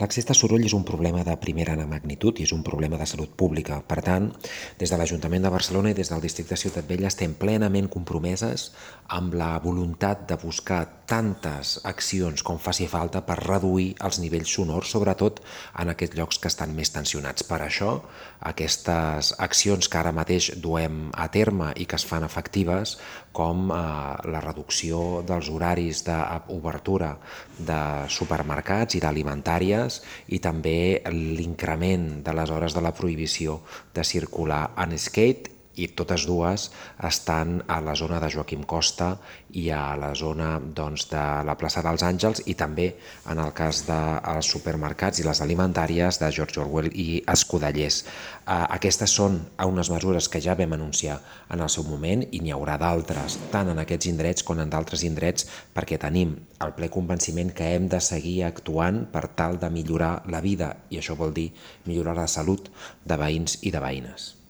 L'accés de soroll és un problema de primera magnitud i és un problema de salut pública. Per tant, des de l'Ajuntament de Barcelona i des del districte de Ciutat Vella estem plenament compromeses amb la voluntat de buscar tantes accions com faci falta per reduir els nivells sonors, sobretot en aquests llocs que estan més tensionats. Per això, aquestes accions que ara mateix duem a terme i que es fan efectives, com la reducció dels horaris d'obertura de supermercats i d'alimentàries, i també l'increment de les hores de la prohibició de circular en skate, i totes dues estan a la zona de Joaquim Costa i a la zona de la plaça dels Àngels, i també en el cas dels supermercats i les alimentàries de George Orwell i Escudellers. Aquestes són unes mesures que ja vam anunciar en el seu moment i n'hi haurà d'altres, tant en aquests indrets com en d'altres indrets, perquè tenim el ple convenciment que hem de seguir actuant per tal de millorar la vida, i això vol dir millorar la salut de veïns i de veïnes.